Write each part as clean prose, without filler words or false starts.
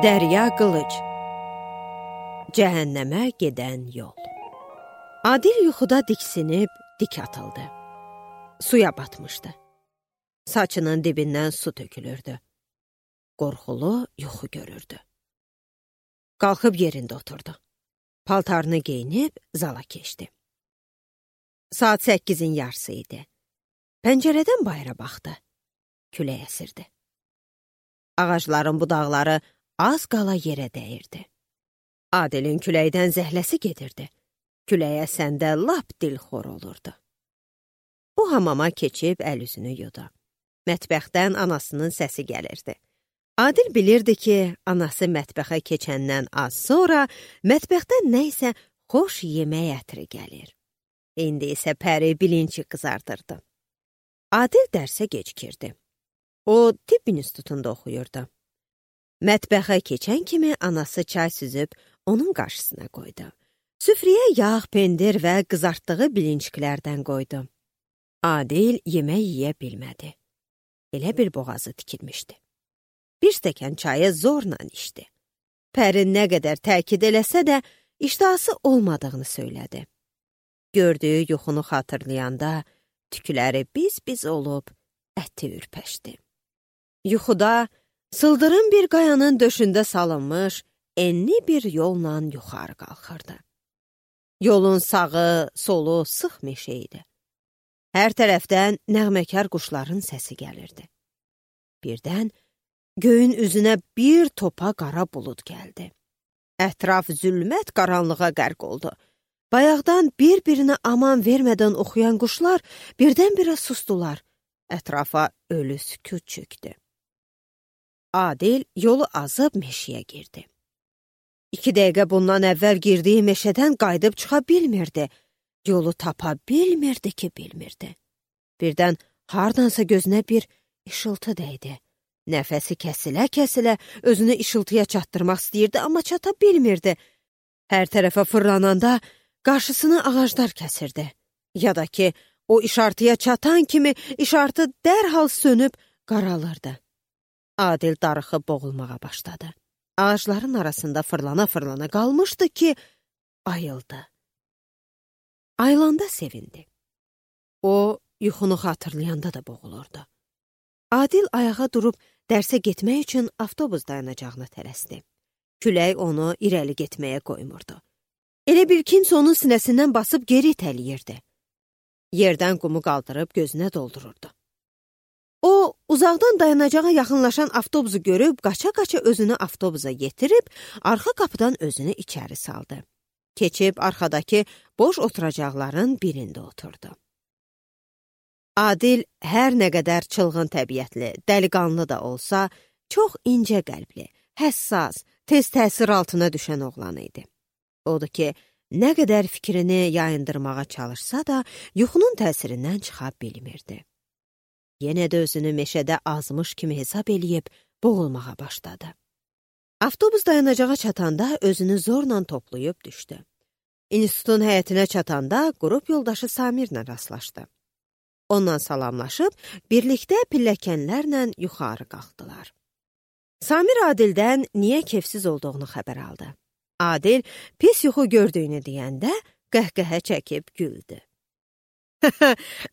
Dərya Qılıc. Cəhənnəmə gedən yol. Adil yuxuda diksinib dik atıldı. Suya batmışdı. Saçının dibindən su tökülürdü. Qorxulu yuxu görürdü. Qalxıb yerində oturdu. Paltarını geyinib zala keçdi. Saat 8-in yarısı idi. Pəncərədən bayıra baxdı. Külək əsirdi. Ağacların budaqları az qala yerə dəyirdi. Adilin küləkdən zəhləsi gedirdi. Külək əsəndə lap dilxor olurdu. O hamama keçib əl üzünü yudu. Mətbəxdən anasının səsi gəlirdi. Adil bilirdi ki, anası mətbəxə keçəndən az sonra mətbəxdən nə isə xoş yemək ətri gəlir. İndi isə Pəri bilinci qızardırdı. Adil dərsə gecikirdi. O, tibb institutunda oxuyurdu. Mətbəxə keçən kimi anası çay süzüb onun qarşısına qoydu. Süfrəyə yağ, pendir və qızartdığı bilinçiklərdən qoydu. Adil yemək yeyə bilmədi. Elə bir boğazı tikilmişdi. Bir stəkan çayı zorla içdi. Pəri nə qədər təkid eləsə də iştahası olmadığını söylədi. Gördüyü yuxunu xatırlayanda tükləri biz-biz olub əti ürpəşdi. Yuxuda sıldırım bir qayanın döşündə salınmış enli bir yolla yuxarı qalxırdı. Yolun sağı, solu sıx meşə idi. Hər tərəfdən nəğməkar quşların səsi gəlirdi. Birdən göyün üzünə bir topa qara bulud gəldi. Ətraf zülmət qaranlığa qərq oldu. Bayaqdan bir-birinə aman vermədən oxuyan quşlar birdən-birə sustular. Ətrafa ölü sükut çökdü. Adil yolu azıb meşəyə girdi. 2 dəqiqə bundan əvvəl girdiyi meşədən qayıdıb çıxa bilmirdi. Yolu tapa bilmirdi ki, bilmirdi. Birdən hardansa gözünə bir işıltı dəydi. Nəfəsi kəsilə-kəsilə özünü işıltıya çatdırmaq istəyirdi, amma çata bilmirdi. Hər tərəfə fırlananda qarşısını ağaclar kəsirdi. Ya da ki, o işartıya çatan kimi işartı dərhal sönüb qaralırdı. Adil darıxıb boğulmağa başladı. Ağacların arasında fırlana-fırlana qalmışdı ki, ayıldı. Ayılanda sevindi. O, yuxunu xatırlayanda da boğulurdu. Adil ayağa durub dərsə getmək üçün avtobus dayanacağına tələsdi. Külək onu irəli getməyə qoymurdu. Elə bir kimsə onun sinəsindən basıb geri itələyirdi. Yerdən qumu qaldırıb gözünə doldururdu. O, uzaqdan dayanacağa yaxınlaşan avtobusu görüb, qaça-qaça özünü avtobusa yetirib, arxa qapıdan özünü içəri saldı. Keçib arxadakı boş oturacaqların birində oturdu. Adil hər nə qədər çılğın təbiətli, dəliqanlı da olsa, çox incə qəlbli, həssas, tez təsir altına düşən oğlan idi. Odur ki, nə qədər fikrini yayındırmağa çalışsa da, yuxunun təsirindən çıxa bilmirdi. Yenə də özünü meşədə azmış kimi hesab eləyib boğulmağa başladı. Avtobus dayanacağa çatanda özünü zorla toplayıb düşdü. İnstitutun həyətinə çatanda qrup yoldaşı Samirlə rastlaşdı. Onunla salamlaşıb, birlikdə pilləkənlərlə yuxarı qalxdılar. Samir Adildən niyə kefsiz olduğunu xəbər aldı. Adil pis yuxu gördüyünü deyəndə qəhqəhə çəkib güldü.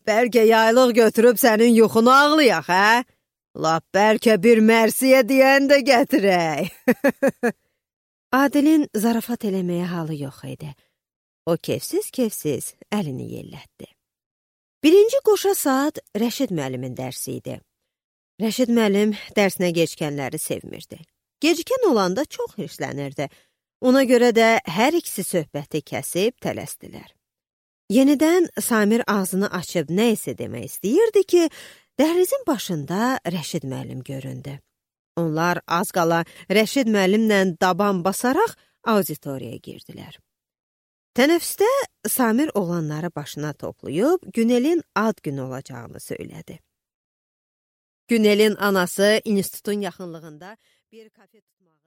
Bəlkə yaylıq götürüb sənin yuxunu ağlayaq, hə? Lap bəlkə bir mərsiyə deyən də gətirək. Adilin zarafat eləməyə halı yox idi. O kefsiz-kefsiz əlini yellətdi. 1-ci qoşa saat Rəşid müəllimin dərsi idi. Rəşid müəllim dərsinə gecikənləri sevmirdi. Gecikən olanda çox hirslənirdi. Ona görə də hər ikisi söhbəti kəsib tələsdilər. Yenidən Samir ağzını açıb nə isə demək istəyirdi ki, dəhlizin başında Rəşid müəllim göründü. Onlar az qala Rəşid müəllimlə daban basaraq auditoriyaya girdilər. Tənəffüsdə Samir oğlanları başına toplayıb Günelin ad günü olacağını söylədi. Günelin anası institutun yaxınlığında bir kafe tutmağı